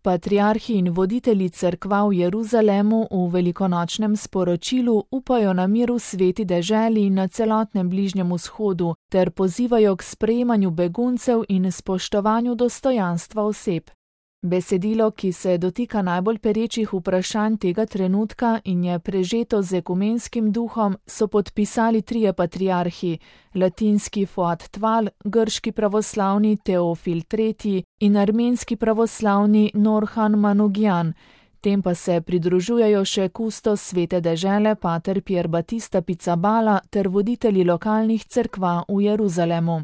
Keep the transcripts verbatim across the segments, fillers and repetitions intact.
Patriarhi in voditelji cerkva v Jeruzalemu v velikonočnem sporočilu upajo na mir v sveti deželi in na celotnem Bližnjem vzhodu ter pozivajo k sprejemanju beguncev in spoštovanju dostojanstva oseb. Besedilo, ki se dotika najbolj perečih vprašanj tega trenutka in je prežeto z ekumenskim duhom, so podpisali trije patriarhi, latinski Fuad Tval, grški pravoslavni Teofil tretji in armenski pravoslavni Norhan Manukyan. Tem pa se pridružujejo še kustos svete dežele pater Pier Battista Pizzaballa ter voditelji lokalnih cerkva v Jeruzalemu.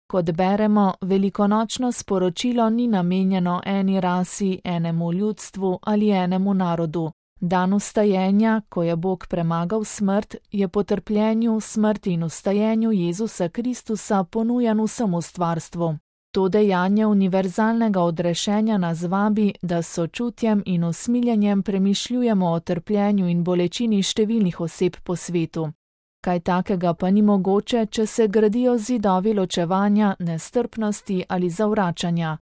Kot beremo, velikonočno sporočilo ni namenjeno eni rasi, enemu ljudstvu ali enemu narodu. Dan vstajenja, ko je Bog premagal smrt, je po trpljenju, smrti in vstajenju Jezusa Kristusa ponujan vsemu stvarstvu. To dejanje univerzalnega odrešenja nas vabi, da s sočutjem in usmiljenjem premišljujemo o trpljenju in bolečini številnih oseb po svetu. Kaj takega pa ni mogoče, če se gradijo zidovi ločevanja, nestrpnosti ali zavračanja.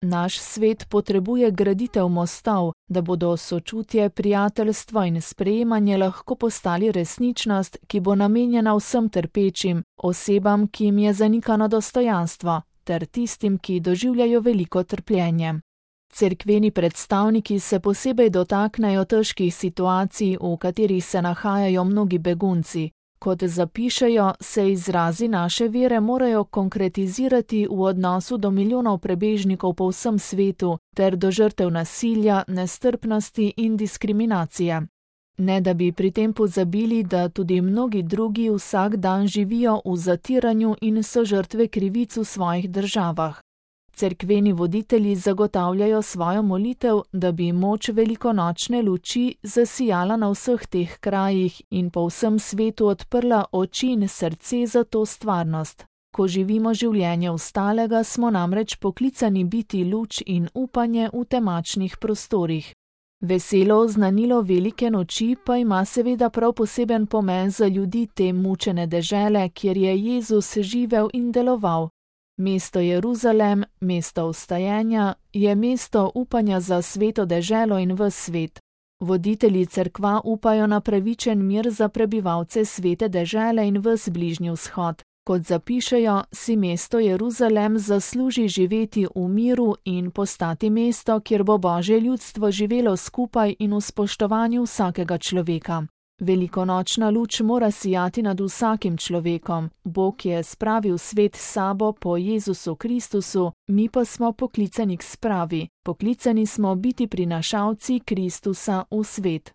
Naš svet potrebuje graditev mostov, da bodo sočutje, prijateljstvo in sprejemanje lahko postali resničnost, ki bo namenjena vsem trpečim, osebam, ki jim je zanikano dostojanstvo, ter tistim, ki doživljajo veliko trpljenje. Cerkveni predstavniki se posebej dotaknejo težkih situacij, v katerih se nahajajo mnogi begunci. Kot zapišejo, se izrazi naše vere morajo konkretizirati v odnosu do milijonov prebežnikov po vsem svetu ter do žrtev nasilja, nestrpnosti in diskriminacije. Ne da bi pri tem pozabili, da tudi mnogi drugi vsak dan živijo v zatiranju in so žrtve krivic v svojih državah. Cerkveni voditelji zagotavljajo svojo molitev, da bi moč velikonočne luči zasijala na vseh teh krajih in po vsem svetu odprla oči in srce za to stvarnost. Ko živimo življenje ostalega, smo namreč poklicani biti luč in upanje v temačnih prostorih. Veselo oznanilo velike noči pa ima seveda prav poseben pomen za ljudi te mučene dežele, kjer je Jezus živel in deloval. Mesto Jeruzalem, mesto vstajenja, je mesto upanja za sveto deželo in ves svet. Voditelji cerkva upajo na pravičen mir za prebivalce svete dežele in ves Bližnji vzhod. Kot zapišejo, si mesto Jeruzalem zasluži živeti v miru in postati mesto, kjer bo Božje ljudstvo živelo skupaj in v spoštovanju vsakega človeka. Velikonočna luč mora sijati nad vsakim človekom. Bog je spravil svet s sabo po Jezusu Kristusu, mi pa smo poklicani k spravi. Poklicani smo biti prinašalci Kristusa v svet.